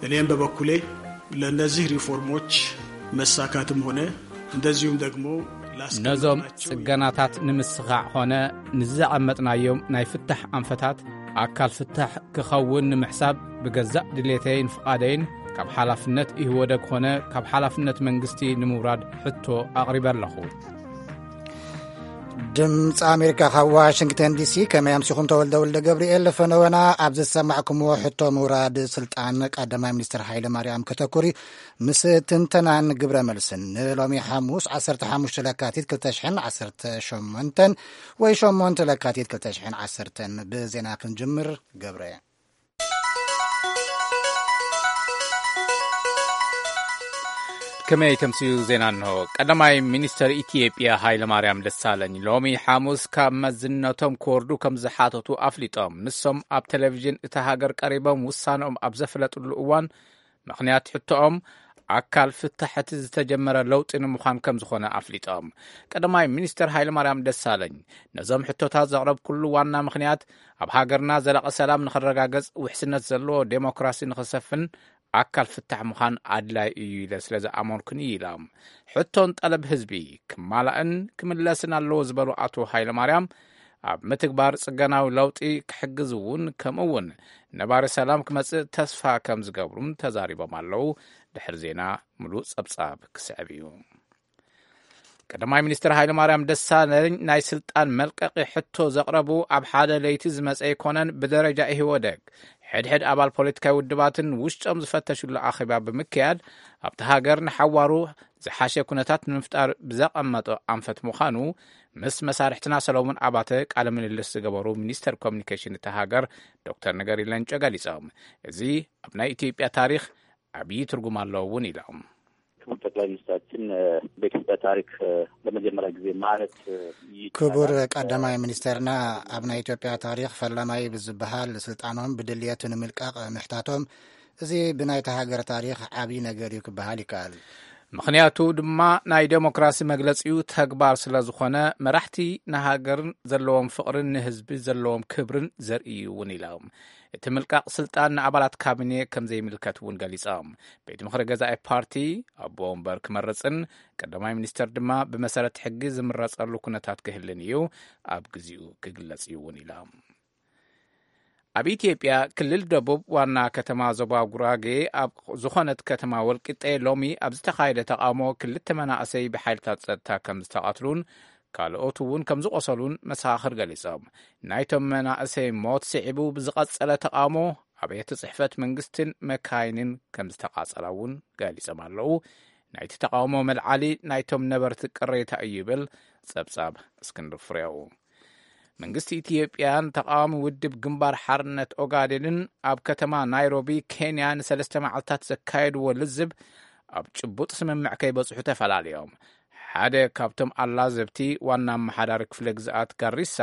እኔም በበኩሌ ለእነዚህ ሪፎርሞች መሳካትም ሆነ እንደዚሁም ደግሞ ነዞም ጽገናታት ንምስኻዕ ኾነ ንዝዘቐመጥናዮም ናይ ፍታሕ ኣንፈታት ኣካል ፍታሕ ክኸውን ንምሕሳብ ብገዛእ ድሌተይን ፍቓደይን ካብ ሓላፍነት ኢህወደግ ኾነ ካብ ሓላፍነት መንግስቲ ንምውራድ ሕቶ ኣቕሪበ ኣለኹ። ድምፂ ኣሜሪካ ካብ ዋሽንግተን ዲሲ። ከመይ ኣምሲኹም? ተወልደ ወልደ ገብርኤል ፈነወና። ኣብ ዝሰማዕኩምዎ ሕቶ ምውራድ ስልጣን ቀዳማይ ሚኒስትር ሃይለ ማርያም ከተኩሪ ምስ ትንተናን ግብረ መልስን ንሎሚ ሓሙስ ዓሰርተ ሓሙሽተ ለካቲት ክልተ ሽሕን ዓሰርተ ሸሞንተን ወይ ሸሞንተ ለካቲት ክልተ ሽሕን ዓሰርተን ብዜና ክንጅምር። ገብረ። ከመይ ተምስዩ? ዜና እንሆ። ቀዳማይ ሚኒስተር ኢትዮጵያ ሃይለማርያም ደሳለኝ ሎሚ ሓሙስ ካብ መዝነቶም ክወርዱ ከም ዝሓተቱ ኣፍሊጦም። ንሶም ኣብ ቴሌቪዥን እታ ሃገር ቀሪቦም ውሳነኦም ኣብ ዘፍለጥሉ እዋን ምኽንያት ሕቶኦም ኣካል ፍታሕ እቲ ዝተጀመረ ለውጢ ንምዃን ከም ዝኾነ ኣፍሊጦም። ቀዳማይ ሚኒስተር ሃይለማርያም ደሳለኝ ነዞም ሕቶታት ዘቕረብኩሉ ዋና ምኽንያት ኣብ ሃገርና ዘላቒ ሰላም ንኽረጋገጽ፣ ውሕስነት ዘለዎ ዴሞክራሲ ንኽሰፍን ኣካል ፍታሕ ምዃን ኣድላይ እዩ ኢለ ስለ ዝኣመንኩን እዩ ኢሎም። ሕቶን ጠለብ ህዝቢ ክማላእን ክምለስን ኣለዎ ዝበሉ ኣቶ ሃይለማርያም፣ ኣብ ምትግባር ጽገናዊ ለውጢ ክሕግዝ እውን፣ ከምኡ እውን ነባሪ ሰላም ክመጽእ ተስፋ ከም ዝገብሩን ተዛሪቦም ኣለዉ። ድሕሪ ዜና ምሉእ ጸብጻብ ክስዕብ እዩ። ቀዳማይ ሚኒስትር ሃይለማርያም ደሳለኝ ናይ ስልጣን መልቀቂ ሕቶ ዘቕረቡ ኣብ ሓደ ለይቲ ዝመጸ ኣይኮነን። ብደረጃ ኢህወደግ ሕድሕድ ኣባል ፖለቲካዊ ውድባትን ውሽጦም ዝፈተሽሉ ኣኼባ ብምክያድ፣ ኣብቲ ሃገር ንሓዋሩ ዝሓሸ ኩነታት ንምፍጣር ብዘቐመጦ ኣንፈት ምዃኑ ምስ መሳርሕትና ሰሎሞን ኣባተ ቃለ ምልልስ ዝገበሩ ሚኒስተር ኮሚኒኬሽን እታ ሃገር ዶክተር ነገሪ ለንጮ ገሊጾም። እዚ ኣብ ናይ ኢትዮጵያ ታሪኽ ዓብዪ ትርጉም ኣለዎ እውን ኢሎም። ክቡር ጠቅላይ ሚኒስትራችን በኢትዮጵያ ታሪክ ለመጀመሪያ ጊዜ ማለት ይቻላል። ክቡር ቀዳማይ ሚኒስተርና ኣብ ናይ ኢትዮጵያ ታሪኽ ፈላማይ ብዝበሃል ስልጣኖም ብድልየት ንምልቃቕ ምሕታቶም፣ እዚ ብናይታ ሃገር ታሪኽ ዓብዪ ነገር እዩ ክበሃል ይከኣል። ምኽንያቱ ድማ ናይ ዴሞክራሲ መግለጺኡ ተግባር ስለ ዝኾነ፣ መራሕቲ ንሃገርን ዘለዎም ፍቕርን ንህዝቢ ዘለዎም ክብርን ዘርኢ እዩ እውን ኢሎም። እቲ ምልቃቕ ስልጣን ንኣባላት ካቢኔ ከም ዘይምልከት እውን ገሊጾም። ቤት ምኽሪ ገዛኢ ፓርቲ ኣቦ ወንበር ክመርጽን ቀዳማይ ሚኒስተር ድማ ብመሰረት ሕጊ ዝምረጸሉ ኩነታት ክህልን እዩ ኣብ ግዚኡ ክግለጽ እዩ እውን ኢሎም። ኣብ ኢትዮጵያ ክልል ደቡብ ዋና ከተማ ዞባ ጉራጌ ኣብ ዝኾነት ከተማ ወልቂጤ ሎሚ ኣብ ዝተኻየደ ተቓውሞ ክልተ መናእሰይ ብሓይልታት ጸጥታ ከም ዝተቐትሉን ካልኦት እውን ከም ዝቖሰሉን መሰኻኽር ገሊጾም። ናይቶም መናእሰይ ሞት ስዒቡ ብዝቐጸለ ተቓውሞ ኣብያተ ጽሕፈት መንግስትን መካይንን ከም ዝተቓጸላ እውን ገሊጾም ኣለዉ። ናይቲ ተቓውሞ መልዓሊ ናይቶም ነበርቲ ቅሬታ እዩ ይብል ጸብጻብ እስክንድር ፍሬው። መንግስቲ ኢትዮጵያን ተቓዋሚ ውድብ ግንባር ሓርነት ኦጋዴንን ኣብ ከተማ ናይሮቢ ኬንያ ንሰለስተ መዓልታት ዘካየድዎ ልዝብ ኣብ ጭቡጥ ስምምዕ ከይበጽሑ ተፈላለዮም። ሓደ ካብቶም ኣላዘብቲ ዋና ኣመሓዳሪ ክፍለ ግዝኣት ጋሪሳ፣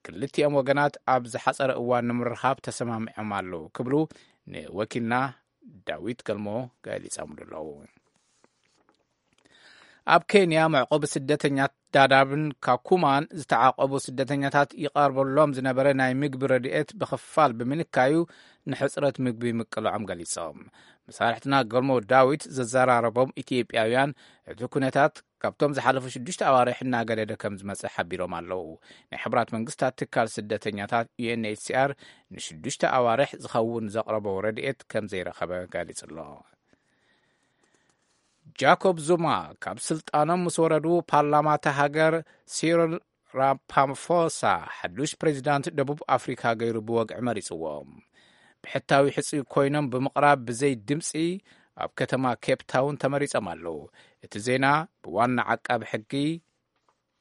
ክልቲኦም ወገናት ኣብ ዝሓጸረ እዋን ንምርኻብ ተሰማሚዖም ኣለዉ ክብሉ ንወኪልና ዳዊት ገልሞ ገሊጾምሉ ኣለዉ። ኣብ ኬንያ መዕቆቢ ስደተኛት ዳዳብን ካኩማን ዝተዓቆቡ ስደተኛታት ይቐርበሎም ዝነበረ ናይ ምግቢ ረድኤት ብኽፋል ብምንካዩ ንሕጽረት ምግቢ ምቅልዖም ገሊጾም። መሳርሕትና ገልሞ ዳዊት ዘዘራረቦም ኢትዮጵያውያን፣ እቲ ኩነታት ካብቶም ዝሓለፉ ሽዱሽተ ኣዋርሕ እናገደደ ከም ዝመጸ ሓቢሮም ኣለዉ። ናይ ሕቡራት መንግስታት ትካል ስደተኛታት ዩ ኤን ኤች ሲ ኣር ንሽዱሽተ ኣዋርሕ ዝኸውን ዘቕረቦ ረድኤት ከም ዘይረኸበ ገሊጹ ኣሎ። ጃኮብ ዙማ ካብ ስልጣኖም ምስ ወረዱ፣ ፓርላማ እታ ሃገር ሲሪል ራማፎሳ ሓዱሽ ፕሬዚዳንት ደቡብ ኣፍሪካ ገይሩ ብወግዒ መሪፅዎ። ብሕታዊ ሕፁይ ኮይኖም ብምቕራብ ብዘይ ድምፂ ኣብ ከተማ ኬፕ ታውን ተመሪፆም ኣለዉ። እቲ ዜና ብዋና ዓቃቢ ሕጊ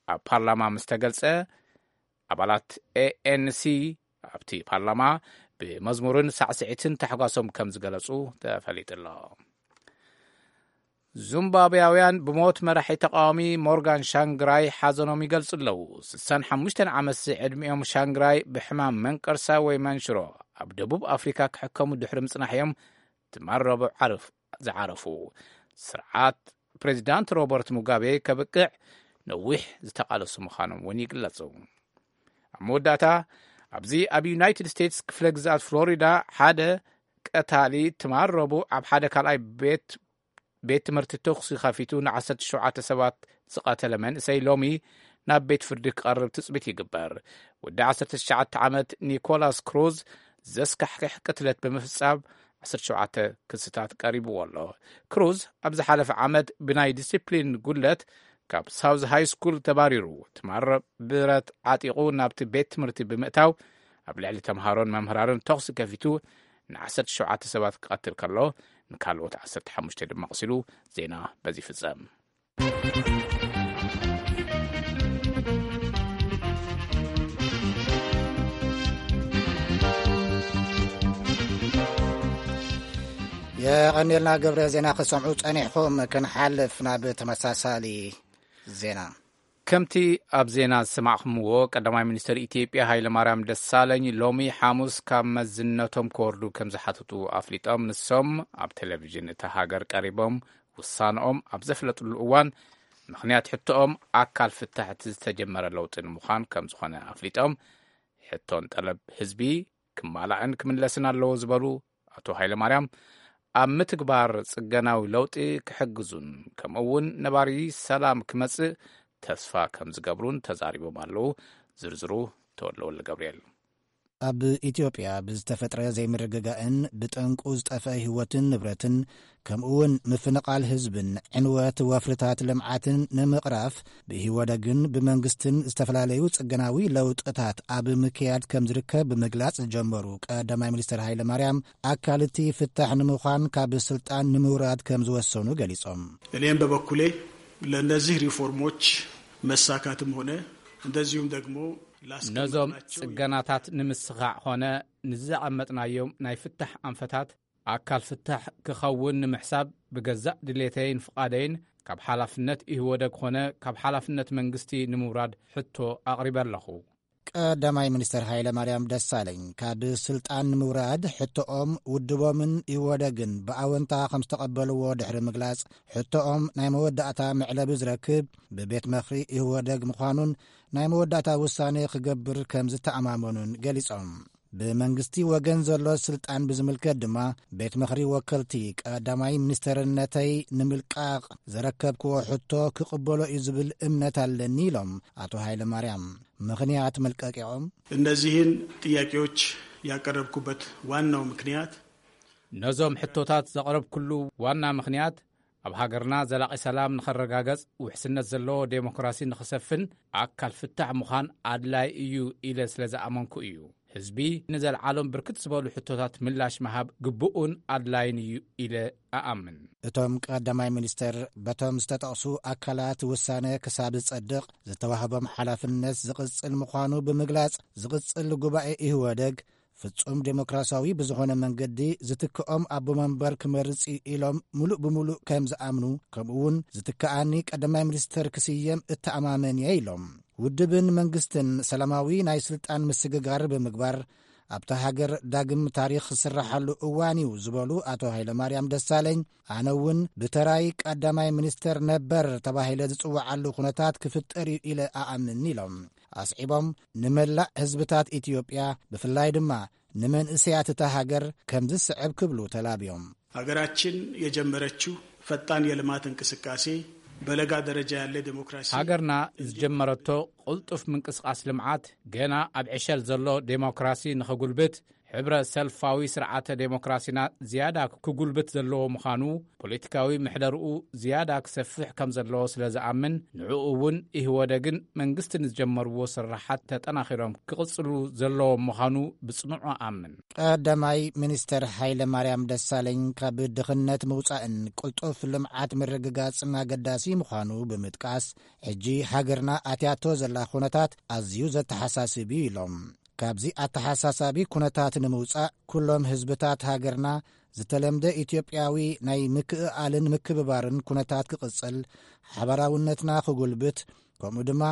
ኣብ ፓርላማ ምስ ተገልጸ፣ ኣባላት ኤ ኤን ሲ ኣብቲ ፓርላማ ብመዝሙርን ሳዕስዒትን ታሕጓሶም ከም ዝገለጹ ተፈሊጡ ኣሎ። ዙምባብያውያን ብሞት መራሒ ተቃዋሚ ሞርጋን ሻንግራይ ሓዘኖም ይገልጹ ኣለዉ። ስሳን ሓሙሽተን ዓመት ዕድሚኦም ሻንግራይ ብሕማም መንቀርሳ ወይ መንሽሮ ኣብ ደቡብ ኣፍሪካ ክሕከሙ ድሕሪ ምጽናሕ እዮም ትማል ረቡዕ ዓርፍ ዝዓረፉ። ስርዓት ፕሬዚዳንት ሮበርት ሙጋቤ ከብቅዕ ነዊሕ ዝተቓለሱ ምዃኖም እውን ይግለጹ። ኣብ መወዳእታ፣ ኣብዚ ኣብ ዩናይትድ ስቴትስ ክፍለ ግዝኣት ፍሎሪዳ ሓደ ቀታሊ ትማል ረቡዕ ኣብ ሓደ ካልኣይ ቤት ቤት ትምህርቲ ተኹሲ ከፊቱ ን ዓሰርተ ሸውዓተ ሰባት ዝቐተለ መንእሰይ ሎሚ ናብ ቤት ፍርዲ ክቐርብ ትጽቢት ይግበር። ወዲ ዓሰርተ ትሽዓተ ዓመት ኒኮላስ ክሩዝ ዘስካሕክሕ ቅትለት ብምፍጻም ዓሰርተ ሸውዓተ ክስታት ቀሪብዎ ኣሎ። ክሩዝ ኣብ ዝሓለፈ ዓመት ብናይ ዲሲፕሊን ጉድለት ካብ ሳውዝ ሃይ ስኩል ተባሪሩ፣ ትማል ብረት ዓጢቑ ናብቲ ቤት ትምህርቲ ብምእታው ኣብ ልዕሊ ተምሃሮን መምህራንን ተኹሲ ከፊቱ ን ዓሰርተ ሸውዓተ ሰባት ክቐትል ከሎ፣ ንካልኦት ዓሰርተ ሓሙሽተ ድማ ኣቑሲሉ። ዜና በዚ ይፍጸም። የቐኔልና ገብረ። ዜና ክሰምዑ ጸኒሕኹም፣ ክንሓልፍ ናብ ተመሳሳሊ ዜና። ከምቲ ኣብ ዜና ዝሰማዕኹምዎ፣ ቀዳማይ ሚኒስትር ኢትዮጵያ ሃይለማርያም ደሳለኝ ሎሚ ሓሙስ ካብ መዝነቶም ክወርዱ ከም ዝሓተቱ ኣፍሊጦም። ንሶም ኣብ ቴሌቪዥን እታ ሃገር ቀሪቦም ውሳነኦም ኣብ ዘፍለጥሉ እዋን፣ ምኽንያት ሕቶኦም ኣካል ፍታሕ እቲ ዝተጀመረ ለውጢ ንምዃን ከም ዝኾነ ኣፍሊጦም፣ ሕቶን ጠለብ ህዝቢ ክማላእን ክምለስን ኣለዎ ዝበሉ ኣቶ ሃይለማርያም፣ ኣብ ምትግባር ጽገናዊ ለውጢ ክሕግዙን ከምኡ እውን ነባሪ ሰላም ክመጽእ ተስፋ ከም ዝገብሩን ተዛሪቦም ኣለዉ። ዝርዝሩ ተወልደ ወልደ ገብርኤል። ኣብ ኢትዮጵያ ብዝተፈጥረ ዘይምርግጋእን ብጠንቁ ዝጠፍአ ህይወትን ንብረትን፣ ከምኡ እውን ምፍንቓል ህዝብን ዕንወት ወፍርታት ልምዓትን ንምቕራፍ፣ ብኢህወደግን ብመንግስትን ዝተፈላለዩ ጽገናዊ ለውጥታት ኣብ ምክያድ ከም ዝርከብ ብምግላጽ ዝጀመሩ ቀዳማይ ሚኒስትር ሃይለ ማርያም፣ ኣካል እቲ ፍታሕ ንምዃን ካብ ስልጣን ንምውራድ ከም ዝወሰኑ ገሊጾም። እኔም በበኩሌ ለእነዚህ ሪፎርሞች መሳካትም ሆነ እንደዚሁም ደግሞ ነዞም ላስቀመጥናቸው ጽገናታት ንምስኻዕ ኾነ ንዘቐመጥናዮም ናይ ፍታሕ ኣንፈታት ኣካል ፍታሕ ክኸውን ንምሕሳብ፣ ብገዛእ ድሌተይን ፍቓደይን ካብ ሓላፍነት ኢህወደግ ኾነ ካብ ሓላፍነት መንግስቲ ንምውራድ ሕቶ ኣቕሪበ ኣለኹ። ቀዳማይ ሚኒስትር ሃይለ ማርያም ደሳለኝ፣ ካብ ስልጣን ንምውራድ ሕቶኦም ውድቦምን ኢህወደግን ብኣወንታ ከም ዝተቐበልዎ ድሕሪ ምግላጽ፣ ሕቶኦም ናይ መወዳእታ መዕለቢ ዝረክብ ብቤት ምኽሪ ኢህወደግ ምዃኑን ናይ መወዳእታ ውሳኔ ክገብር ከም ዝተኣማመኑን ገሊጾም። ብመንግስቲ ወገን ዘሎ ስልጣን ብዝምልከት ድማ፣ ቤት ምኽሪ ወከልቲ ቀዳማይ ሚኒስተርነተይ ንምልቃቕ ዘረከብክዎ ሕቶ ክቕበሎ እዩ ዝብል እምነት ኣለኒ ኢሎም ኣቶ ሃይለ ማርያም። ምኽንያት መልቀቂኦም? እነዚህን ጥያቄዎች ያቀረብኩበት ዋናው ምክንያት ነዞም ሕቶታት ዘቕረብኩሉ ዋና ምኽንያት፣ ኣብ ሃገርና ዘላቒ ሰላም ንኸረጋገጽ፣ ውሕስነት ዘለዎ ዴሞክራሲ ንኽሰፍን ኣካል ፍታሕ ምዃን ኣድላይ እዩ ኢለ ስለ ዝኣመንኩ እዩ። ህዝቢ ንዘልዓሎም ብርክት ዝበሉ ሕቶታት ምላሽ ምሃብ ግቡእን ኣድላይን እዩ ኢለ እኣምን። እቶም ቀዳማይ ሚኒስተር፣ በቶም ዝተጠቕሱ ኣካላት ውሳነ ክሳብ ዝጸድቕ፣ ዝተዋህቦም ሓላፍነት ዝቕጽል ምዃኑ ብምግላጽ፣ ዝቕጽል ጉባኤ ኢህወደግ ፍጹም ዴሞክራሲያዊ ብዝኾነ መንገዲ ዝትክኦም ኣቦ መንበር ክመርጽ እዩ ኢሎም ምሉእ ብምሉእ ከም ዝኣምኑ፣ ከምኡ እውን ዝትክኣኒ ቀዳማይ ሚኒስተር ክስየም እተኣማመን እየ ኢሎም። ውድብን መንግስትን ሰላማዊ ናይ ስልጣን ምስግጋር ብምግባር ኣብታ ሃገር ዳግም ታሪኽ ዝስረሓሉ እዋን እዩ ዝበሉ ኣቶ ሃይለማርያም ደሳለኝ፣ ኣነ እውን ብተራይ ቀዳማይ ሚኒስተር ነበር ተባሂለ ዝጽውዓሉ ኩነታት ክፍጠር እዩ ኢለ እኣምን ኢሎም። ኣስዒቦም፣ ንመላእ ህዝብታት ኢትዮጵያ፣ ብፍላይ ድማ ንመንእሰያት እታ ሃገር ከምዚ ዝስዕብ ክብሉ ተላብዮም። ሀገራችን የጀመረችው ፈጣን የልማት እንቅስቃሴ፣ በለጋ ደረጃ ያለ ዴሞክራሲ፣ ሃገርና ዝጀመረቶ ቅልጡፍ ምንቅስቃስ ልምዓት፣ ገና ኣብ ዕሸል ዘሎ ዴሞክራሲ ንኸጉልብት፣ ሕብረ ሰልፋዊ ስርዓተ ዴሞክራሲና ዝያዳ ክጉልብት ዘለዎ ምዃኑ፣ ፖለቲካዊ ምሕደርኡ ዝያዳ ክሰፍሕ ከም ዘለዎ ስለ ዝኣምን፣ ንዕኡ እውን ኢህወደግን መንግስትን ዝጀመርዎ ስራሓት ተጠናኺሮም ክቕጽሉ ዘለዎም ምዃኑ ብጽኑዕ እኣምን። ቀዳማይ ሚኒስተር ሃይለ ማርያም ደሳለኝ፣ ካብ ድኽነት ምውጻእን ቅልጡፍ ልምዓት ምርግጋጽን ኣገዳሲ ምዃኑ ብምጥቃስ፣ ሕጂ ሃገርና ኣትያቶ ዘላ ኩነታት ኣዝዩ ዘተሓሳስብ እዩ ኢሎም። ካብዚ ኣተሓሳሳቢ ኩነታት ንምውጻእ፣ ኩሎም ህዝብታት ሃገርና ዝተለምደ ኢትዮጵያዊ ናይ ምክእኣልን ምክብባርን ኩነታት ክቕጽል፣ ሓባራውነትና ክጉልብት፣ ከምኡ ድማ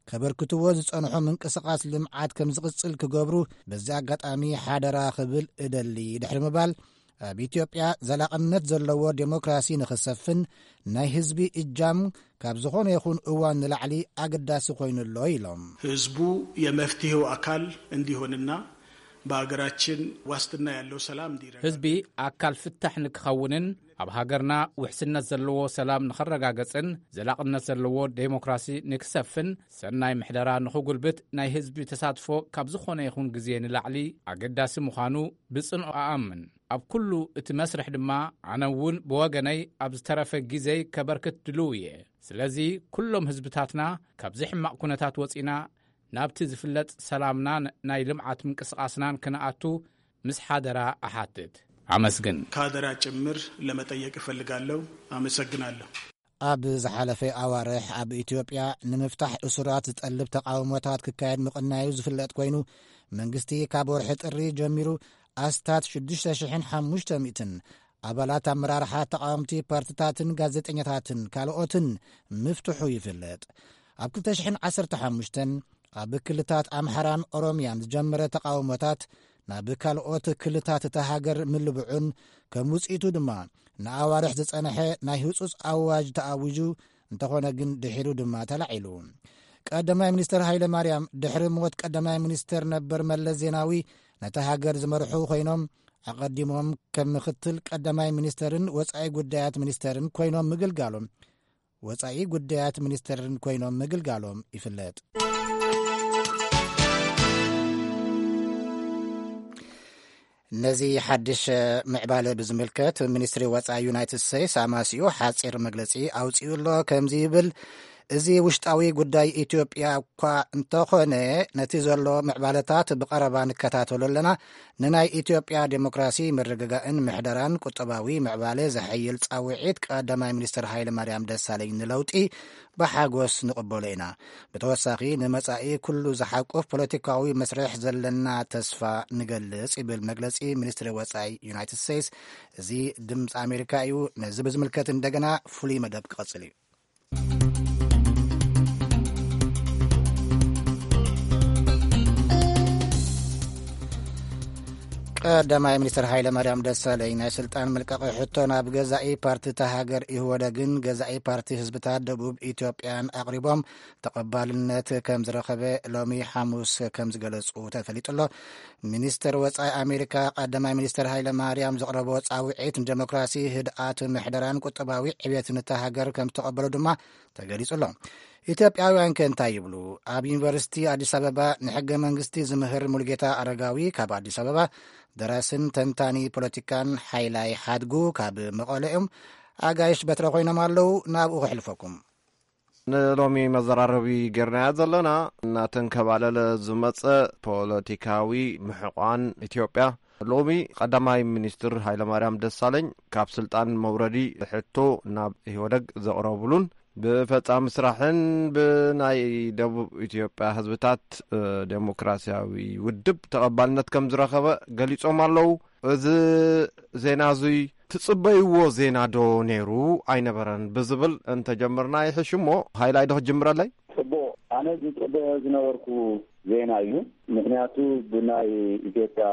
ከበርክትዎ ዝጸንሑ ምንቅስቓስ ልምዓት ከም ዝቕጽል ክገብሩ በዚ ኣጋጣሚ ሓደራ ክብል እደሊ ድሕሪ ምባል፣ ኣብ ኢትዮጵያ ዘላቕነት ዘለዎ ዴሞክራሲ ንኽሰፍን ናይ ህዝቢ እጃም ካብ ዝኾነ ይኹን እዋን ንላዕሊ ኣገዳሲ ኮይኑ ኣሎ ኢሎም። ህዝቡ የመፍትሄው አካል እንዲሆንና በሀገራችን ዋስትና ያለው ሰላም እንዲረጋገጥ ህዝቢ ኣካል ፍታሕ ንክኸውንን ኣብ ሃገርና ውሕስነት ዘለዎ ሰላም ንኸረጋገጽን ዘላቕነት ዘለዎ ዴሞክራሲ ንክሰፍን ሰናይ ምሕደራ ንኽጉልብት ናይ ህዝቢ ተሳትፎ ካብ ዝኾነ ይኹን ግዜ ንላዕሊ ኣገዳሲ ምዃኑ ብጽንኦ ኣኣምን። ኣብ ኩሉ እቲ መስርሕ ድማ ኣነ እውን ብወገነይ ኣብ ዝተረፈ ግዜይ ከበርክት ድልው እየ። ስለዚ ኩሎም ህዝብታትና ካብዚ ሕማቕ ኩነታት ወጺና ናብቲ ዝፍለጥ ሰላምናን ናይ ልምዓት ምንቅስቓስናን ክንኣቱ ምስ ሓደራ እሓትት። ኣመስግን። ካደራ ጭምር ለመጠየቅ እፈልጋለሁ። አመሰግናለሁ። ኣብ ዝሓለፈ ኣዋርሕ ኣብ ኢትዮጵያ ንምፍታሕ እሱራት ዝጠልብ ተቃውሞታት ክካየድ ምቕናዩ ዝፍለጥ ኮይኑ፣ መንግስቲ ካብ ወርሒ ጥሪ ጀሚሩ ኣስታት ሽዱሽተ ሽሕን ሓሙሽተ ሚእትን ኣባላት ኣመራርሓ ተቃወምቲ ፓርትታትን ጋዜጠኛታትን ካልኦትን ምፍትሑ ይፍለጥ። ኣብ ክልተ ሽሕን ዓሰርተ ሓሙሽተን ኣብ ክልታት ኣምሓራን ኦሮምያን ዝጀመረ ተቃውሞታት ናብ ካልኦት ክልታት እታ ሃገር ምልብዑን ከም ውጽኢቱ ድማ ንኣዋርሕ ዝጸንሐ ናይ ህጹጽ ኣዋጅ ተኣዊጁ እንተኾነ ግን ድሒሩ ድማ ተላዒሉ። ቀዳማይ ሚኒስተር ሃይለ ማርያም ድሕሪ ሞት ቀዳማይ ሚኒስተር ነበር መለስ ዜናዊ ነታ ሃገር ዝመርሑ ኮይኖም ኣቐዲሞም ከም ምክትል ቀዳማይ ሚኒስተርን ወጻኢ ጉዳያት ሚኒስተርን ኮይኖም ምግልጋሎም ወጻኢ ጉዳያት ሚኒስተርን ኮይኖም ምግልጋሎም ይፍለጥ። ነዚ ሓድሽ ምዕባለ ብዝምልከት ሚኒስትሪ ወጻኢ ዩናይትድ ስቴትስ ኣማሲኡ ሓጺር መግለጺ ኣውጺኡ ኣሎ። ከምዚ ይብል፣ እዚ ውሽጣዊ ጉዳይ ኢትዮጵያ እኳ እንተኾነ፣ ነቲ ዘሎ ምዕባለታት ብቐረባ ንከታተሎ ኣለና። ንናይ ኢትዮጵያ ዴሞክራሲ ምርግጋእን ምሕደራን ቁጠባዊ ምዕባለ ዘሐይል ጻውዒት ቀዳማይ ሚኒስትር ሃይለ ማርያም ደሳለኝ ንለውጢ ብሓጎስ ንቕበሎ ኢና። ብተወሳኺ ንመጻኢ ኩሉ ዝሓቁፍ ፖለቲካዊ መስርሕ ዘለና ተስፋ ንገልጽ ይብል መግለጺ ሚኒስትሪ ወጻኢ ዩናይትድ ስቴትስ። እዚ ድምፂ ኣሜሪካ እዩ። ነዚ ብዝምልከት እንደገና ፍሉይ መደብ ክቐጽል እዩ። ቀዳማይ ሚኒስትር ሃይለ ማርያም ደሳለኝ ናይ ስልጣን ምልቃቕ ሕቶ ናብ ገዛኢ ፓርቲ እታ ሃገር ኢህወደግን ገዛኢ ፓርቲ ህዝብታት ደቡብ ኢትዮጵያን ኣቕሪቦም ተቐባልነት ከም ዝረኸበ ሎሚ ሓሙስ ከም ዝገለጹ ተፈሊጡ ኣሎ። ሚኒስትር ወጻኢ ኣሜሪካ ቀዳማይ ሚኒስትር ሃይለ ማርያም ዘቕረቦ ጻውዒት ንዴሞክራሲ፣ ህድኣት፣ ምሕደራን ቁጠባዊ ዕብየትን እታ ሃገር ከም ዝተቐበሎ ድማ ተገሊጹ ኣሎ። ኢትዮጵያውያን ከ እንታይ ይብሉ? ኣብ ዩኒቨርሲቲ ኣዲስ ኣበባ ንሕገ መንግስቲ ዝምህር ሙሉጌታ ኣረጋዊ ካብ ኣዲስ ኣበባ፣ ደራስን ተንታኒ ፖለቲካን ሓይላይ ሓድጉ ካብ መቐለ እዮም። ኣጋይሽ በትረ ኮይኖም ኣለዉ። ናብኡ ከሕልፈኩም። ንሎሚ መዘራረቢ ጌርናያ ዘለና እናተንከባለለ ዝመጸ ፖለቲካዊ ምሕቋን ኢትዮጵያ፣ ሎሚ ቀዳማይ ሚኒስትር ሃይለማርያም ደሳለኝ ካብ ስልጣን መውረዲ ሕቶ ናብ ኢህወደግ ዘቕረቡሉን ብፈጻሚ ስራሕን ብናይ ደቡብ ኢትዮጵያ ህዝብታት ዴሞክራሲያዊ ውድብ ተቐባልነት ከም ዝረኸበ ገሊጾም ኣለዉ። እዚ ዜና እዙይ ትጽበይዎ ዜና ዶ ነይሩ ኣይነበረን ብዝብል እንተጀምርና ይሕሽ እሞ፣ ሃይላይ ዶ ክትጅምረለይ? ጽቡቕ። ኣነ ዝጽበዮ ዝነበርኩ ዜና እዩ። ምኽንያቱ ብናይ ኢትዮጵያ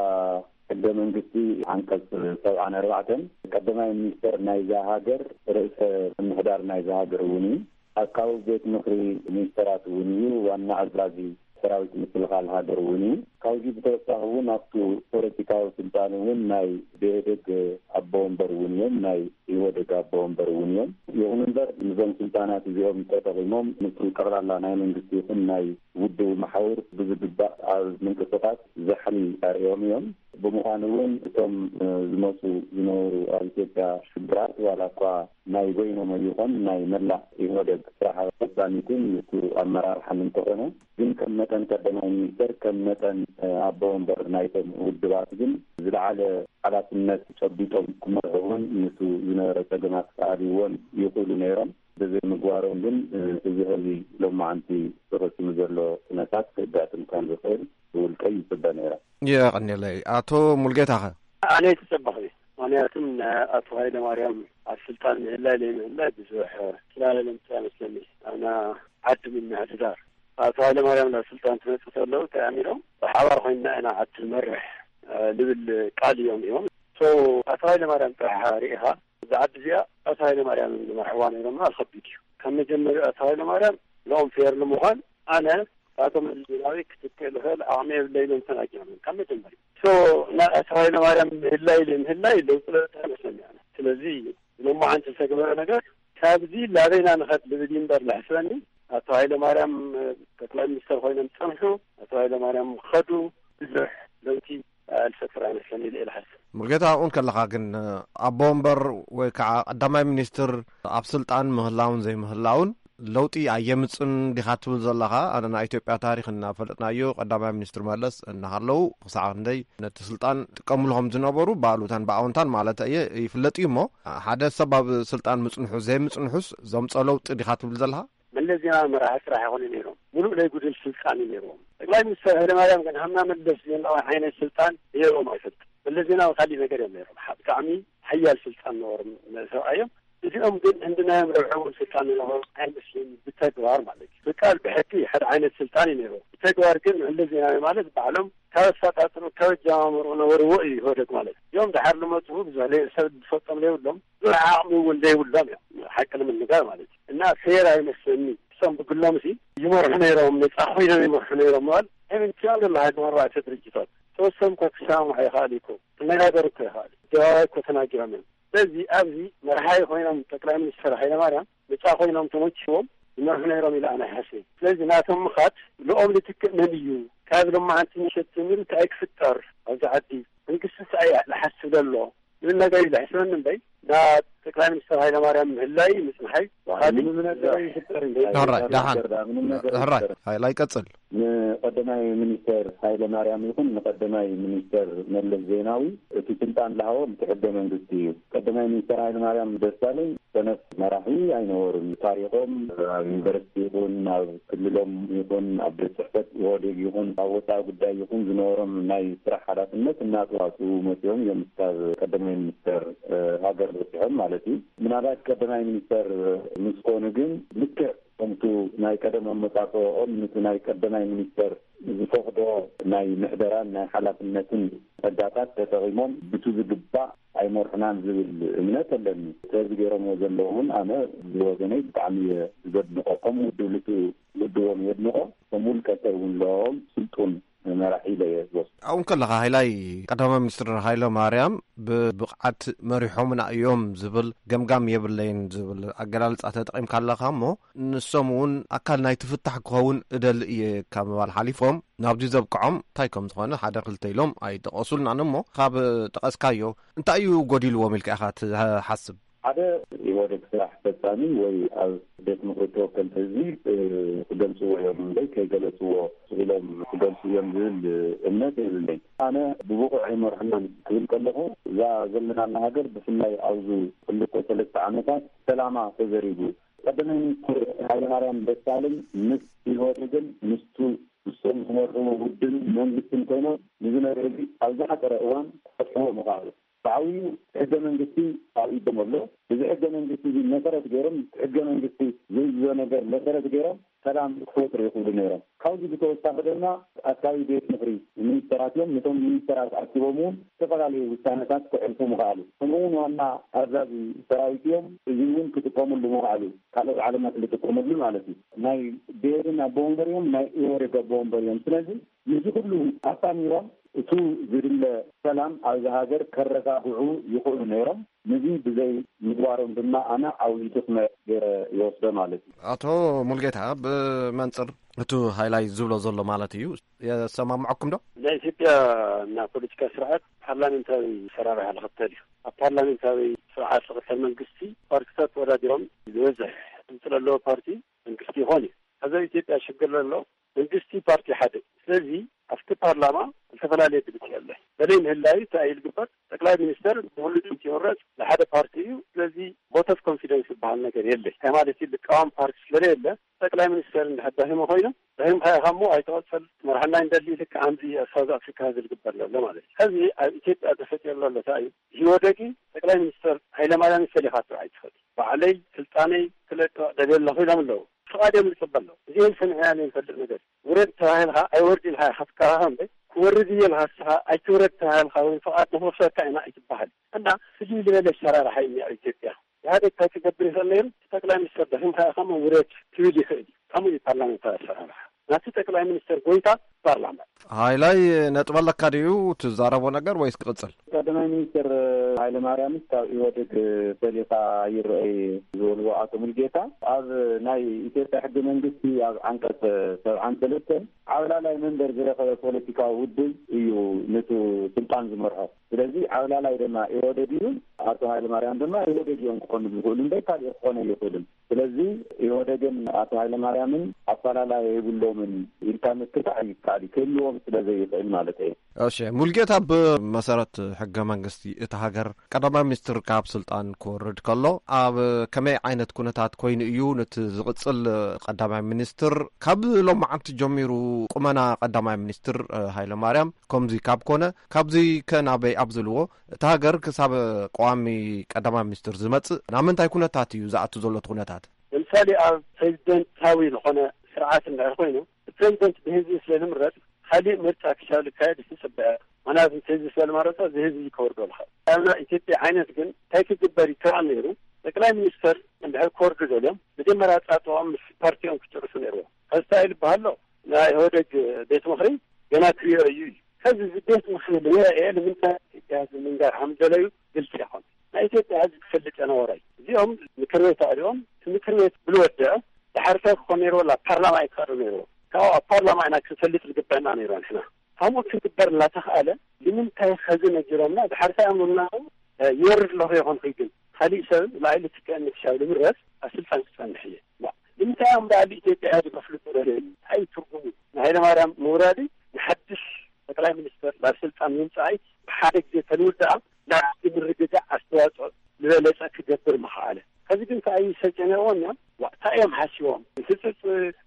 ሕገ መንግስቲ ዓንቀጽ ሰብዓን ኣርባዕተን ቀዳማይ ሚኒስተር ናይዛ ሃገር ርእሰ ምምሕዳር ናይዛ ሃገር እውን እዩ። ኣካዊ ቤት ምኽሪ ሚኒስተራት እውን እዩ። ዋና ኣዛዚ ሰራዊት ምክልኻል ሃገር እውን እዩ። ካብዚ ብተወሳኺ እውን ኣብቱ ፖለቲካዊ ስልጣን እውን ናይ ብኢህደግ ኣቦ ወንበር እውን እዮም፣ ናይ ኢህወደግ ኣቦ ወንበር እውን እዮም። ይኹን እምበር ንዞም ስልጣናት እዚኦም ተጠቒሞም ምስቲ ጠቕላላ ናይ መንግስቲ ይኹን ናይ ውድቡ መሓውር ብዝግባእ ኣብ ምንቅስቓስ ዛሕሊ ኣርእዮም እዮም። ብምዃኑ እውን እቶም ዝመፁ ዝነበሩ ኣብ ኢትዮጵያ ሽግራት ዋላ እኳ ናይ በይኖም ይኾን ናይ መላእ ኢህወደግ ስራሕ ፈፃሚትን ምስኡ ኣመራርሓን እንተኾነ፣ ግን ከም መጠን ቀዳማይ ሚኒስተር፣ ከም መጠን ኣቦ ወንበር ናይቶም ውድባት ግን ዝለዓለ ሓላፍነት ጨቢጦም ክመርሑ እውን ምስኡ ዝነበረ ፀገማት ክኣልይዎን ይኽእሉ ነይሮም። ብዘይምግባሮም ግን እዚ ሕዚ ሎማዓንቲ ተፈፂሙ ዘሎ ኩነታት ከጋጥም ከም ዝኽእል ብውልቀይ ይፅበ ነይረ። የቐንየለይ። ኣቶ ሙልጌታኸ? ኣነ ኣይተጸበኹ። ምኽንያቱም ኣቶ ሃይለማርያም ኣብ ስልጣን ምህላይ ዘይምህላይ ብዙሕ ትላለለምታ መስለኒ። ኣና ዓዲ ምምሕድዳር ኣቶ ሃይለማርያም ናብ ስልጣን ትመጽእ ተለዉ እንታይ ኣሚሮም ብሓባር ኮይንና ኢና ዓዲ ንመርሕ ልብል ቃል እዮም እዮም። So ኣቶ ሃይለማርያም ጥራሕ ርኢኻ፣ እዛ ዓዲ እዚኣ ኣቶ ሃይለማርያም ዝመርሕዋ ነይሮም ምባል ከቢድ እዩ። ካብ መጀመሪያ ኣቶ ሃይለማርያም ንኦም ፌር ንምዃን ኣነ ኣቶ መለስ ዜናዊ ክትክእ ዝኽእል ዓቕሚ የብለይን ኢሎም ተናጊሮም እዮም ካብ መጀመሪያ። So ናይ ኣቶ ሃይለማርያም ምህላይ ዘይምህላይ ለውጢ ለውጢ ኣይመስለኒ ኣነ። ስለዚ ሎማዓንቲ ዝተገበረ ነገር ካብዚ ላበይና ንኸድ ልብል እዩ እምበር ለሕስበኒ፣ ኣቶ ሃይለማርያም ጠቅላይ ሚኒስተር ኮይኖም ጸንሑ፣ ኣቶ ሃይለማርያም ኸዱ፣ ብዙሕ ለውጢ ኣልፈጥር ኣይመስለኒ ኢለ እየ ዝሓስብ። ሙልጌታ፣ ኣብኡ ከለኻ ግን ኣቦ ወንበር ወይ ከዓ ቀዳማይ ሚኒስትር ኣብ ስልጣን ምህላውን ዘይምህላውን ለውጢ ኣየምፅን ዲኻ ትብል ዘለኻ? ኣነ ናይ ኢትዮጵያ ታሪክ እናፈለጥናዮ፣ ቀዳማይ ሚኒስትር መለስ እናሃለዉ ክሳዕ ክንደይ ነቲ ስልጣን ጥቀምሉ ከም ዝነበሩ ብኣሉታን ብኣወንታን ማለት እየ ይፍለጥ እዩ። እሞ ሓደ ሰብ ኣብ ስልጣን ምፅንሑ ዘይምፅንሑስ ዘምፀ ለውጢ ዲኻ ትብል ዘለኻ? መለስ ዜናዊ መራሒ ስራሕ ይኾኑ ነይሮም። ሙሉእ ናይ ጉድል ስልጣን እዩ ነይሮም። ጠቅላይ ሚኒስትር ሃይለማርያም ግን ሃምና መለስ ዜናዊ ዓይነት ስልጣን ነይሮም ኣይፈልጥን። መለስ ዜናዊ ካሊእ ነገር እዮም ነይሮም። ሓ-፣ ብጣዕሚ ሓያል ስልጣን ነበሮም ሰብኣዮም። እዚኦም ግን ህንድናዮም ረብሐዎም ስልጣን ዝነበሮም ኣይመስልን ብተግባር ማለት እዩ። ብቃል ብሕጊ ሓደ ዓይነት ስልጣን እዩ ነይሮም። ብተግባር ግን መለስ ዜናዊ ማለት ባዕሎም ካብ ኣፈጣጥሩ ካብ ኣጀማምርኡ ነበርዎ እዩ ኢህወደግ ማለት። እዮም ደሓር ልመፅኡ ብዙሕ ለይ-፣ ሰብ ዝፈልጦም ዘይብሎም ብዙሕ ዓቕሚ እውን ዘይብሎም እዮም ሓቂ ንምንጋር ማለት እዩ። እና ፌር ኣይመስለኒ። እሶም ብግሎም ሲ ይመርሑ ነይሮም፣ ነፃ ኮይኖም ይመርሑ ነይሮም ምባል ኣይምንትያን ዘሎ ሃገር ኣርባዕተ ድርጅታት ተወሰኑ እኳ ክሰማማዕ ይኽእል እዩ እኮ፣ ክነጋገሩ እኮ ይኽእል እዩ። ኣደባባይ እኮ ተናጊሮም እዮም። ስለዚ ኣብዚ መርሓይ ኮይኖም ጠቅላይ ሚኒስትር ሃይለማርያም ነፃ ኮይኖም ተመችዎም ይመርሑ ነይሮም ኢለ ኣነ ይሓስብ። ስለዚ ናቶም ምኻድ ንኦም ልትክእ መን እዩ? ካብ ሎማዓንቲ ምሸት ጀሚሩ እንታይ ክፍጠር ኣብዚ ዓዲ? መንግስቲ እንታይ እዩ ዝሓስብ ዘሎ? ዝብል ነገር እዩ ዘሕስበኒ እምበይ፣ ናብ ጠቅላይ ሚኒስትር ሃይለማርያም ምህላይ ምጽንሓይ ዋላ ወኻሊ ምንም ነገር ይፍጠር እንጂ ሕራይ፣ ደሓን። ነገር ዳ ምንም ነገር ሕራይ፣ ይፍጠር። ሃይላይ ቀጽል። ንቀዳማይ ሚኒስተር ሃይለ ማርያም ይኹን ንቀዳማይ ሚኒስተር መለስ ዜናዊ እቲ ስልጣን ዝሃቦም እቲ ሕገ መንግስቲ እዩ። ቀዳማይ ሚኒስተር ሃይለ ማርያም ደሳለኝ ሰነፍ መራሒ ኣይነበሩን። ታሪኾም ኣብ ዩኒቨርሲቲ ይኹን ኣብ ክልሎም ይኹን ኣብ ቤት ጽሕፈት ኢህወዴግ ይኹን ኣብ ወፃኢ ጉዳይ ይኹን ዝነበሮም ናይ ስራሕ ሓላፍነት እናተዋፅኡ መፂኦም እዮም እስካብ ቀዳማይ ሚኒስተር፣ እ፣ ሃገር በፂሖም ማለት እዩ። ምናልባት ቀዳማይ ሚኒስተር ምስ ኮኑ ግን ልክዕ ከምቱ ናይ ቀደም ኣመፃፅኦም ነቲ ናይ ቀዳማይ ሚኒስተር ዝፈቕዶ ናይ ምሕደራን ናይ ሓላፍነትን ጸጋታት ተጠቒሞም ብቱ ዝግባእ ኣይመርሑናን ዝብል እምነት ኣለኒ። ስለዚ ገይሮምዎ ዘለዉ እውን ኣነ ብወገነይ ብጣዕሚ እየ ዘድንቖ። ከም ውድብ ልቱ ውድቦም የድንቖ። ከም ውልቀ ሰብ እውን ለኦም ስልጡን መራሒ ኢለ እየ ዝወስዶ። ኣብኡ ከለኻ ሃይላይ ቀዳማይ ሚኒስትር ሃይለ ማርያም ብብቕዓት መሪሖምና እዮም ዝብል ገምጋም የብለይን ዝብል ኣገላልጻ ተጠቒምካ ኣለኻ እሞ፣ ንሶም እውን ኣካል ናይቲ ፍታሕ ክኸውን እደሊ እየ ካብ ምባል ሓሊፎም ናብዚ ዘብቅዖም እንታይ ከም ዝኾነ ሓደ ክልተ ኢሎም ኣይጠቐሱልናን እሞ፣ ካብ ጠቐስካዮ እንታይ እዩ ጎዲልዎም ኢልካ ኢኻ ትሓስብ? ሓደ ኢህወደግ ስራሕ ፈጻሚ ወይ ኣብ ቤት ምኽሪ ተወከልቲ ህዝቢ፣ እ፣ ክገልጽዎ እዮም እምበይ ከይገለጽዎ ኢሎም ክገልጹ እዮም ዝብል እምነት የብለይን። ኣነ ብብቑዕ ኣይመርሑናን ክብል ከለኹ፣ እዛ ዘለናላ ሃገር ብፍላይ ኣብዚ ክልተ ሰለስተ ዓመታት ሰላማ ተዘሪጉ። ቀዳማይ ሚኒስትር ሃይለማርያም ደሳለኝ ምስ ኢህወደግን ምስቱ ንሶም ዝመርሕዎ ውድብን መንግስትን ኮይኖም ንዚ ነገር እዚ ኣብ ዝሓጸረ እዋን ክፈትሕዎ ምኽኣሉ። ብዓብዩ ሕገ መንግስቲ ኣብ ኢዶም ኣሎ። እዚ ሕገ መንግስቲ እዚ መሰረት ገይሮም፣ ሕገ መንግስቲ ዝእዝዞ ነገር መሰረት ገይሮም ሰላም ክፈጥሩ ይኽእሉ ነይሮም። ካብዚ ብተወሳኺ ድማ ኣካቢ ቤት ምኽሪ ሚኒስተራት እዮም። ነቶም ሚኒስተራት ኣኪቦም እውን ዝተፈላለዩ ውሳነታት ከሕልፉ ምኽኣሉ። ከምኡ እውን ዋና ኣዛዚ ሰራዊት እዮም። እዚ እውን ክጥቀመሉ ምኽኣሉ፣ ካልኦት ዓለማት ዝጥቀመሉ ማለት እዩ። ናይ ብሄርን ኣቦ ወንበር እዮም፣ ናይ ኢህወዴግ ኣቦ ወንበር እዮም። ስለዚ ነዚ ኩሉ ኣጣሚሮም እቱ ዝድለ ሰላም ኣብዚ ሃገር ከረጋግዑ ይኽእሉ ነይሮም። ነዚ ብዘይ ምግባሮም ድማ ኣነ ዓብዪ ድኽመት ገይረ ይወስዶ ማለት እዩ። ኣቶ ሙልጌታ፣ ብመንፅር እቱ ሃይላይ ዝብሎ ዘሎ ማለት እዩ፣ የሰማምዐኩም ዶ? ናይ ኢትዮጵያ እና ፖለቲካ ስርዓት ፓርላሜንታዊ ሰራርሓ ዝኽተል እዩ። ኣብ ፓርላሜንታዊ ስርዓት ዝኽተል መንግስቲ ፓርቲታት ተወዳዲሮም ዝበዝሕ ድምፂ ዘለዎ ፓርቲ መንግስቲ ይኾን እዩ። ኣብዚ ኣብ ኢትዮጵያ ሽግር ዘሎ መንግስቲ ፓርቲ ሓደ እዩ። ስለዚ ኣብቲ ፓርላማ ዝተፈላለየ ድምፂ ኣሎ። በለይ ምህላዩ እንታይ እዩ ዝግበር? ጠቅላይ ሚኒስተር ብሙሉእ ድምፂ ይምረፅ፣ ንሓደ ፓርቲ እዩ። ስለዚ ቮት ኦፍ ኮንፊደንስ ዝበሃል ነገር የለ። እንታይ ማለት እዩ? ልቃወም ፓርቲ ስለዘየለ ጠቅላይ ሚኒስተር እንድሕር ደኺሙ ኮይኑ፣ ደኺምካ ኢኻ እሞ ኣይትቐፅል፣ መርሓና እንደሊ ልክዕ ኣምዚ ኣብ ሳውዝ ኣፍሪካ ዝግበር ዘሎ ማለት እዩ። ሕዚ ኣብ ኢትዮጵያ ተፈጢሩ ዘሎ እንታይ እዩ? ኢህወደግ ጠቅላይ ሚኒስተር ሃይለማርያም ፈሊኻ ትርኣይ ትኽእል። ባዕለይ ስልጣነይ ክለቅቕ ደልየ ኣለኹ ኢሎም ኣለዉ። ፍቓድ እዮም ዝፅበ ኣለዉ። እዚኦም ሰሚዕና ዘይንፈልጥ ነገር። ውረድ ተባሂልካ ኣይወርድ ኢልካ ኢኻ ትከራኸር እምበር፣ ክወርድ እየ ኢልካ ንስኻ ኣይትውረድ ተባሂልካ ወይ ፍቓድ ንኽወስደካ ኢና ኣይትበሃል። እና ፍልይ ዝበለ ኣሰራርሓ እዩ ኣብ ኢትዮጵያ። ኢህኣዴግ እንታይ ክገብር ይኽእል ነይሩ? ጠቅላይ ሚኒስትር ደኺምካ ኢኻ እሞ ውረድ ክብል ይኽእል እዩ። ከምኡ እዩ ፓርላሜንታዊ ኣሰራርሓ። ናቲ ጠቅላይ ሚኒስትር ጎይታ ፓርላማ። ሃይላይ፣ ነጥብ ኣለካ ድዩ ትዛረቦ ነገር ወይስ ክቕጽል? ቀዳማይ ሚኒስትር ሃይለማርያምስ ካብ ኢህወዴግ ፈሊኻ ይረአ ዝበልዎ ኣቶ ሙልጌታ፣ ኣብ ናይ ኢትዮጵያ ሕገ መንግስቲ ኣብ ዓንቀጽ ሰብዓን ሰለስተን ዓብላላይ መንበር ዝረኸበ ፖለቲካዊ ውድብ እዩ ነቲ ስልጣን ዝመርሖ። ስለዚ ዓብላላይ ድማ ኢህወዴግ እዩ፣ ኣቶ ሃይለማርያም ድማ ኢህወዴግ እዮም ክኾኑ ዝኽእሉ እምበር ካልእ ክኾነ ኣይኽእልን። ስለዚ ኢህወዴግን ኣቶ ሃይለማርያምን ኣፈላላይ የብሎምን ኢልካ ምክታዕ ይከኣል እዩ፣ ክህልዎም ስለ ዘይኽእል ማለት እዩ። እሺ ሙልጌታ፣ ብመሰረት ሕገ መንግስቲ እቲ ሃገር ቀዳማይ ሚኒስትር ካብ ስልጣን ክወርድ ከሎ ኣብ ከመይ ዓይነት ኩነታት ኮይኑ እዩ ነቲ ዝቕጽል ቀዳማይ ሚኒስትር? ካብ ሎማዓንቲ ጀሚሩ ቁመና ቀዳማይ ሚኒስትር ሃይለማርያም ከምዚ ካብ ኮነ፣ ካብዚ ከ ናበይ ኣብ ዝልዎ እቲ ሃገር ክሳብ ቀዋሚ ቀዳማይ ሚኒስትር ዝመጽእ ናብ ምንታይ ኩነታት እዩ ዝኣቱ ዘሎ እቲ ኩነታት? ለምሳሌ ኣብ ፕሬዚደንታዊ ዝኾነ ስርዓት እንድሕር ኮይኑ፣ ፕሬዚደንት ብህዝቢ ስለ ዝምረጽ፣ ካሊእ ምርጫ ክሻብ ዝካየድ ይጽበያ። ምኽንያቱ ህዝቢ ስለ ዝመረጾ፣ እዚ ህዝቢ ከወርዶ ልካ ኣብና ኢትዮጵያ ዓይነት ግን እንታይ ክግበር ይከኣል ነይሩ? ጠቅላይ ሚኒስተር እንድሕር ክወርዱ ደልዮም፣ መጀመርያ ጻጥኦም ምስ ፓርቲኦም ክጭርሱ ነይርዎ። ከዚ እንታይ ዝበሃል ኣሎ? ናይ ኢህወደግ ቤት ምኽሪ ገና ክሪኦ እዩ እዩ። ከዚ እዚ ቤት ምኽሪ ንሪኦ እየ ንምንታይ ኢትዮጵያ ህዝቢ ምንጋር ከም ደለዩ ግልፂ ይኾን። ናይ ኢትዮጵያ ህዝቢ ክፈልጥ የነበሮ እዩ። እዚኦም ምክር ቤት ኣዕሊኦም፣ እቲ ምክር ቤት ብልወደአ ድሓር እንታይ ክኾን ነይርዎ? ላ ፓርላማ ኣይክቐርብ ነይርዎ። ካብኡ ኣብ ፓርላማ ኢና ክንፈልጥ ዝግበአና ነይርዎ ንሕና። ከምኡ ክግበር እናተኽኣለ ንምንታይ ኸዚ ነጊሮምና ድሓር እንታይ ኣምሩና? ይወርድ ኣለኹ ይኾንኩ ግን ካሊእ ሰብ ላዕሊ ትከአኒ ክሻብ ንምረስ ኣብ ስልጣን ክጸንሕ እየ። ዋ፣ ንምንታይ እዮም ላዕሊ ኢትዮጵያ ዝከፍሉ ተደለዩ? እንታይ ትርጉሙ? ንሃይለማርያም ምውራዲ ንሓድሽ ጠቅላይ ሚኒስትር ናብ ስልጣን ምምጻኣይ ብሓደ ግዜ ተልውዳኣ ናብቲ ምርግጋእ ኣስተዋጽኦ ዝበለጸ ክገብር ምኽኣለ። ከዚ ግን ከኣ ይሰጨ ነይርዎም እዮም። ዋ፣ እንታይ እዮም ሓሲቦም? ህጽጽ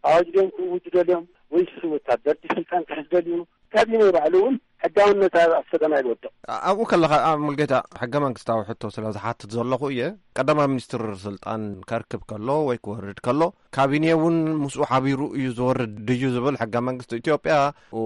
ኣዋጅ ድዮም ክእውጁ ደልዮም? ወይስ ወታደር ድዩ ስልጣን ክሕዝ ደልዩ? ካቢነ ባዕሉ እውን ሕጋውነት ኣብ ኣብ ፈተና ይወድቕ። ኣብኡ ከለኻ፣ ኣብ ሙልጌታ፣ ሕገ መንግስታዊ ሕቶ ስለ ዝሓትት ዘለኹ እየ። ቀዳማይ ሚኒስትር ስልጣን ከርክብ ከሎ ወይ ክወርድ ከሎ፣ ካቢኔ እውን ምስኡ ሓቢሩ እዩ ዝወርድ ድዩ ዝብል ሕገ መንግስቲ ኢትዮጵያ፣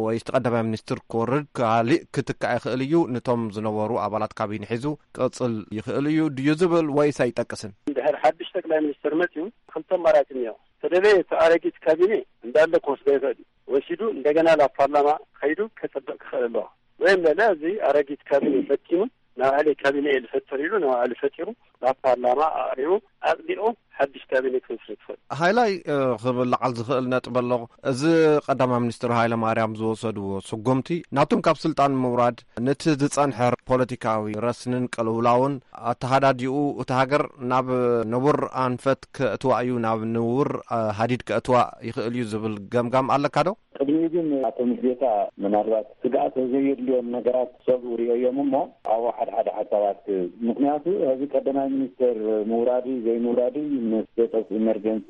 ወይ እቲ ቀዳማይ ሚኒስትር ክወርድ፣ ካሊእ ክትካእ ይኽእል እዩ፣ ነቶም ዝነበሩ ኣባላት ካቢኔ ሒዙ ክቕጽል ይኽእል እዩ ድዩ ዝብል ወይስ ኣይጠቅስን? እንድሕር ሓድሽ ጠቅላይ ሚኒስትር መፅዩ፣ ክልተ ኣማራፂ እኒኦ። ተደለየ እቲ ኣረጊት ካቢኔ እንዳለ ክወስዶ ይኽእል እዩ። ወሲዱ እንደገና ናብ ፓርላማ ከይዱ ከጸድቕ ክኽእል ኣለዎ። ወይም ለለ እዚ ኣረጊት ካቢኔ በቲኑ ንባዕለይ ካቢኔ እየ ዝፈጥር ኢሉ ንባዕሉ ፈጢሩ ናብ ፓርላማ ኣቕሪቡ ኣጽዲቑ ሓድሽ ካቢኔ ክምስርት ይኽእል። ሃይላይ፣ እ፣ ክብል ለዓል ዝኽእል ነጥቢ ኣሎ። እዚ ቀዳማይ ሚኒስትር ሃይለ ማርያም ዝወሰድዎ ስጉምቲ ናቶም ካብ ስልጣን ምውራድ ነቲ ዝጸንሐ ፖለቲካዊ ረስንን ቅልውላውን ኣተሃዳድኡ እታ ሃገር ናብ ንቡር ኣንፈት ከእትዋ እዩ፣ ናብ ንቡር፣ እ፣ ሃዲድ ከእትዋ ይኽእል እዩ ዝብል ገምጋም ኣለካ ዶ? ቅድሚኡ ግን ኣቶ ሙልጌታ ምናልባት ስግኣት ዘየድልዮም ነገራት ሰብኡ ርእዮም እሞ ኣብኡ ሓደ ሓደ ሓሳባት፣ ምኽንያቱ እዚ ቀዳማይ ሚኒስተር ምውራዱ ዘይምውራዱ ምስ ስቴት ኦፍ ኢመርጀንሲ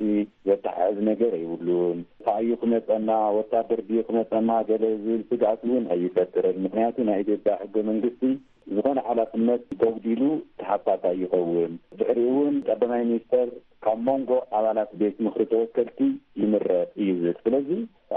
ዘተሓሕዝ ነገር የብሉን። እንታይ እዩ ክመጸና፣ ወታደር ድዩ ክመጸና ገለ ዝብል ስግኣት እውን ኣይፈጥርን። ምኽንያቱ ናይ ኢትዮጵያ ሕገ መንግስቲ ዝኾነ ሓላፍነት ተጉዲሉ ተሓታታይ ይኸውን። ድሕሪኡ እውን ቀዳማይ ሚኒስተር ካብ መንጎ ኣባላት ቤት ምኽሪ ተወከልቲ ይምረጥ እዩ ዝብል። ስለዚ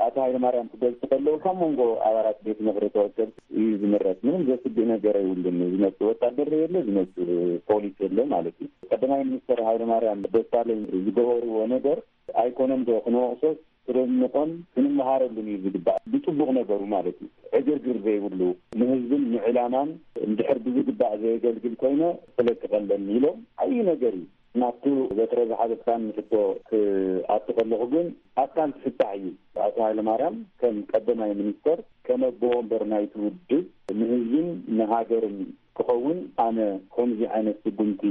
ኣቶ ሃይለማርያም ክገልጹ ከለዉ ካብ መንጎ ኣባላት ቤት ምኽሪ ተወከልቲ እዩ ዝምረጥ። ምንም ዘስግእ ነገር የብሉን። ዝመጽእ ወታደር የለ፣ ዝመጽእ ፖሊስ የለ ማለት እዩ። ቀዳማይ ሚኒስተር ሃይለማርያም ደሳለኝ ዝገበርዎ ነገር ኣይኮነን ዶ ክንወቕሶስ ክነድንቖን ክንመሃረሉን እዩ ዝግባእ፣ ብጽቡቕ ነገሩ ማለት እዩ። ዕግርግር ዘይብሉ፣ ንህዝብን ንዕላማን እንድሕር ብዝግባእ ዘየገልግል ኮይነ ክለቅቕ ኣለኒ ኢሎም ዓብዪ ነገር እዩ። ናብቲ በትረ ዝሓዘትካን ሕቶ ክኣቱ ከለኹ ግን ኣካል ፍታሕ እዩ። ኣቶ ሃይለማርያም ከም ቀዳማይ ሚኒስተር፣ ከም ኣቦ ወንበር ናይቲ ውድብ፣ ንህዝብን ንሃገርን ክኸውን ኣነ ከምዚ ዓይነት ስጉምቲ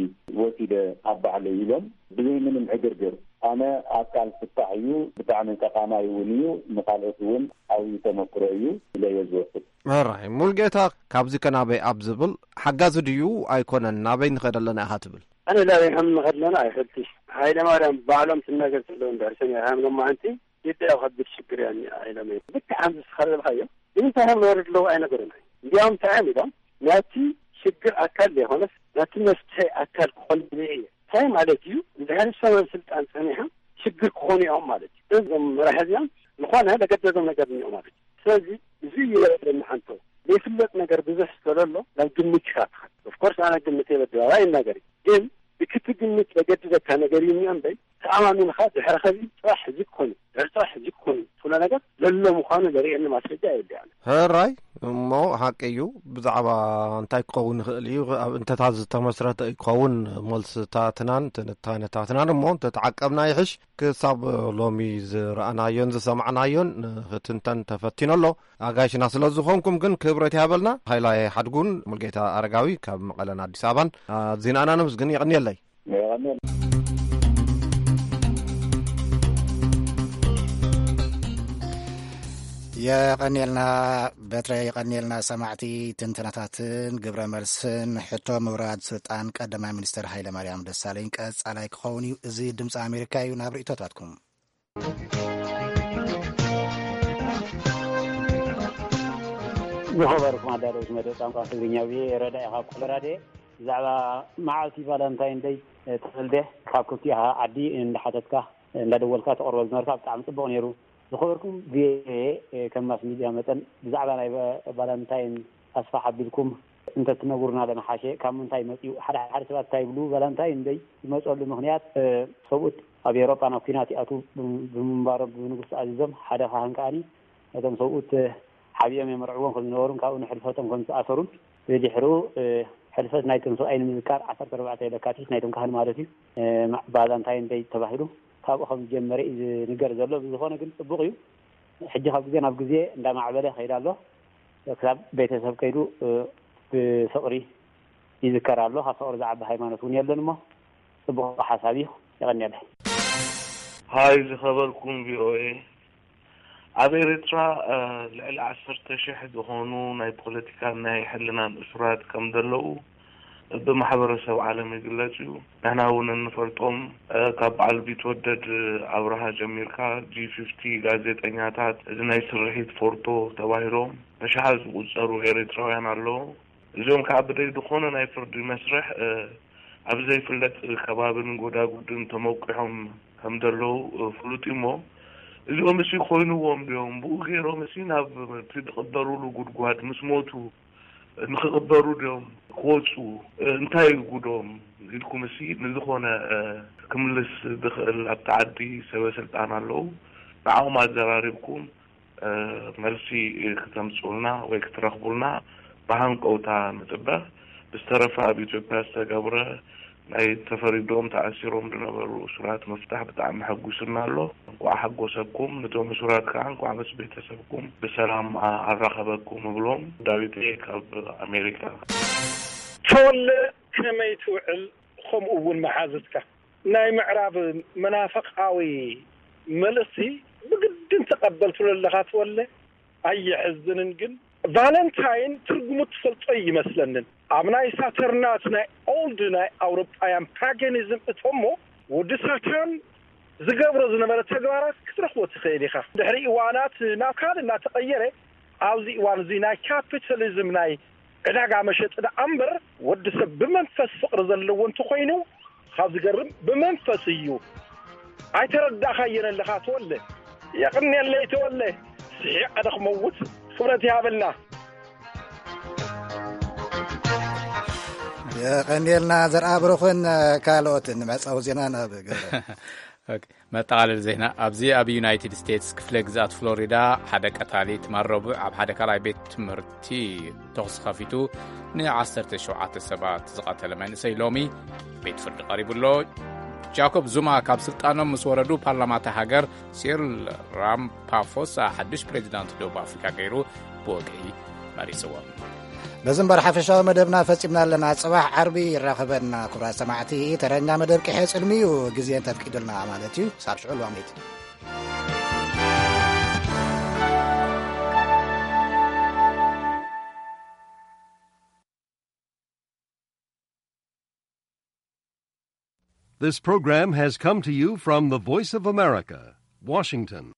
ወሲደ ኣብ ባዕለይ ኢሎም ብዘይ ምንም ዕግርግር፣ ኣነ ኣካል ፍታሕ እዩ፣ ብጣዕሚ ጠቓማይ እውን እዩ፣ ንኻልኦት እውን ዓብዪ ተመክሮ እዩ ኢለ እየ ዝወስድ። ሕራይ ሙልጌታ፣ ካብዚ ከናበይ ኣብ ዝብል ሓጋዚ ድዩ ኣይኮነን፣ ናበይ ንኸድ ኣለና ኢኻ ትብል? ኣነ ናበይ ከም ንኸድ ኣለና ኣይፈልጥሽ። ሃይለ ማርያም ባዕሎም ትናገር ዘለዉ እንድሕር ሰሚዕካዮም ሎማዓንቲ ኢትዮጵያ ኣብ ከቢድ ሽግር እያ እኒኣ ኢሎም እዮም። ልክዕ ከምዚ ንስኻ ዝበልካዮ ንምንታይ ከም ዝወርድ ኣለዉ ኣይነገሩን። እንዲያውም እንታይ እዮም ኢሎም፣ ናቲ ሽግር ኣካል ዘይኮነስ ናቲ መፍትሒ ኣካል ክኾን እየ። እንታይ ማለት እዩ? እንድሕር እሶም ኣብ ስልጣን ጸኒሖም ሽግር ክኾኑ እዮም ማለት እዩ። እዞም መራሒ እዚኦም ዝኾነ ለገደዶም ነገር እኒኦ ማለት እዩ። ስለዚ እዚ ይረብረኒ ሓንቶ ዘይፍለጥ ነገር ብዙሕ ስለሎ ናብ ግምት ኢኻ ትኸድ። ኦፍኮርስ ኣነ ግምት የበድባባ ይናገር እዩ። ግን ብክቲ ግምት ዘገድደካ ነገር እዩ እምበር ተኣማሚንኻ ድሕሪ ኸዚ ጥራሕ ዝኮኑ ድሕሪ ጥራሕ ዝኮኑ ትብሎ ነገር ዘሎ ምዃኑ ዘርእየኒ ማስረጃ የብልያን። ሕራይ እሞ ሓቂ እዩ። ብዛዕባ እንታይ ክኸውን ይኽእል እዩ ኣብ እንተታት ዝተመስረተ እዩ ክኸውን። መልስታትናን ትንታነታትናን እሞ እንተተዓቀብና ይሕሽ። ክሳብ ሎሚ ዝረኣናዮን ዝሰማዕናዮን ክትንተን ተፈቲኑ ኣሎ። ኣጋይሽና ስለ ዝኾንኩም ግን ክብረት ያበልና። ሃይላይ ሓድጉን ሙልጌታ ኣረጋዊ ካብ መቐለን ኣዲስ ኣበባን ኣዚናና ነምስግን። የቐንየለይ። የቐንየልና በትረ፣ የቐንየልና ሰማዕቲ። ትንተናታትን ግብረ መልስን ሕቶ ምውራድ ስልጣን ቀዳማይ ሚኒስትር ሃይለ ማርያም ደሳለኝ ቀጻላይ ክኸውን እዩ። እዚ ድምፂ ኣሜሪካ እዩ። ናብ ርእይቶታትኩም። ዝኸበርኩም ኣዳለውቲ መደብ ቋንቋ ትግርኛ፣ ብየ ረዳ ኢኻ ኮሎራዴ። ብዛዕባ መዓልቲ ቫለንታይን ደይ ተወልደ ካብ ክልቲኻ ዓዲ እንዳሓተትካ እንዳደወልካ ተቕርቦ ዝነበርካ ብጣዕሚ ጽቡቕ ነይሩ። ዝኸበርኩም ቪኦኤ፣ ከም ማስ ሚድያ መጠን ብዛዕባ ናይ ቫ-፣ ቫለንታይን ኣስፋሕ ኣቢልኩም እንተትነግሩና ለመሓሸ። ካብ ምንታይ መጺኡ? ሓደ ሓደ ሰባት እንታይ ይብሉ፣ ቫለንታይን ደይ ዝመጸሉ ምኽንያት፣ ሰብኡት ኣብ ኤውሮጳ ናብ ኲናት ይኣትዉ ብምንባሮም ብንጉስ ተኣዚዞም፣ ሓደ ካህን ከኣኒ ነቶም ሰብኡት ሓቢኦም የመርዕዎም ከም ዝነበሩን ካብኡ ንሕልፈቶም ከም ዝተኣሰሩን ብድሕሩ ሕልፈት ናይቶም ሰብኣይ ንምዝካር ዓሰርተ ኣርባዕተ ለካቲት ናይቶም ካህን ማለት እዩ፣ ቫለንታይን ደይ ተባሂሉ ካብኡ ከም ዝጀመረ እዩ ዝንገር ዘሎ። ብዝኾነ ግን ጽቡቕ እዩ። ሕጂ ካብ ግዜ ናብ ግዜ እንዳማዕበለ ይኸይድ ኣሎ። ክሳብ ቤተሰብ ከይዱ ብፍቕሪ ይዝከር ኣሎ። ካብ ፍቕሪ ዝዓቢ ሃይማኖት እውን የለን እሞ ጽቡቕ ሓሳብ እዩ። የቐንየለይ። ሃይ ዝኸበርኩም ቪኦኤ፣ ኣብ ኤርትራ ልዕሊ ዓሰርተ ሽሕ ዝኾኑ ናይ ፖለቲካን ናይ ሕልናን እሱራት ከም ዘለዉ ብማሕበረሰብ ዓለም ይግለጽ እዩ። ንሕና እውን እንፈልጦም፣ ካብ በዓል ቢትወደድ ኣብርሃ ጀሚርካ፣ ጂ ፊፍቲ፣ ጋዜጠኛታት፣ እዚ ናይ ስርሒት ፎርቶ ተባሂሎም ብሽሓት ዝቑጸሩ ኤርትራውያን ኣለዉ። እዚኦም ከዓ ብደይ ዝኾነ ናይ ፍርዲ መስርሕ ኣብ ዘይፍለጥ ከባብን ጎዳጉድን ተመቂሖም ከም ዘለዉ ፍሉጥ እዩ። እሞ እዚኦም እሲ ኮይንዎም ድዮም? ብኡ ገይሮም እሲ ናብ እቲ ዝቕበሩሉ ጉድጓድ ምስ ሞቱ ንኽቕበሩ ድዮም ክወፁ? እንታይ እዩ ጉዶም ኢልኩም እሲ ንዝኾነ ክምልስ ዝኽእል ኣብቲ ዓዲ ሰበ ስልጣን ኣለዉ። ንዓኦም ኣዘራሪብኩም መልሲ ክተምፅኡልና ወይ ክትረኽቡልና ብሃንቀውታ ንፅበ። ብዝተረፈ ኣብ ኢትዮጵያ ዝተገብረ ናይ ተፈሪዶም ተኣሲሮም ዝነበሩ እሱራት ምፍታሕ ብጣዕሚ ሕጉስና ኣሎ። እንኳዕ ሓጎሰኩም። ነቶም እሱራት ከዓ እንኳዕ ምስ ቤተሰብኩም ብሰላም ኣራኸበኩም እብሎም። ዳዊት ካብ ኣሜሪካ። ተወለ ከመይ ትውዕል? ከምኡ እውን መሓዝትካ ናይ ምዕራብ መናፍቃዊ መልእኽቲ ብግድን ተቐበል ትብሎ ኣለኻ ተወለ። ኣየሕዝንን ግን ቫለንታይን ትርጉሙ ትፈልጦ ይመስለንን። ኣብ ናይ ሳተርናት ናይ ኦልድ ናይ ኣውሮጳውያን ፓጋኒዝም እቶሞ ወዲ ሳታን ዝገብሮ ዝነበረ ተግባራት ክትረኽቦ ትኽእል ኢኻ። ድሕሪ እዋናት ናብ ካልእ እናተቐየረ ኣብዚ እዋን እዚ ናይ ካፒታሊዝም ናይ ዕዳጋ መሸጢ ደኣ እምበር ወዲ ሰብ ብመንፈስ ፍቕሪ ዘለዎ እንተኾይኑ ካብ ዝገርም ብመንፈስ እዩ። ኣይተረዳእካየን ኣለኻ ተወለ። የቕንየለይ ተወለ። ስሒቕ ኣደ ክመውት። ክብረት ይሃበልና። የቐንየልና ዘርኣ ብሩኽን ካልኦትን። መዕጸዊ ዜና ናብ ገብረ። ኦኬ፣ መጠቓለሊ ዜና። ኣብዚ ኣብ ዩናይትድ ስቴትስ ክፍለ ግዝኣት ፍሎሪዳ ሓደ ቀታሊ ትማል ረቡዕ ኣብ ሓደ ካልኣይ ቤት ትምህርቲ ተኹሲ ከፊቱ ንዓሰርተ ሸውዓተ ሰባት ዝቐተለ መንእሰይ ሎሚ ቤት ፍርዲ ቀሪቡ ኣሎ። ጃኮብ ዙማ ካብ ስልጣኖም ምስ ወረዱ ፓርላማ እታ ሃገር ሲሪል ራምፓፎሳ ሓድሽ ፕሬዚዳንት ደቡብ ኣፍሪካ ገይሩ ብወግዒ መሪፅዎም። በዚ እምበር ሓፈሻዊ መደብና ፈፂምና ኣለና። ፅባሕ ዓርቢ ይራኸበና። ክቡራት ሰማዕቲ፣ ተረኛ መደብ ቅሐ ፅልሚ እዩ ግዜ እንተፍቂዱልና ማለት እዩ። ሳብ ሽዑ ልዋሜት። This program has come to you from the Voice of America, Washington.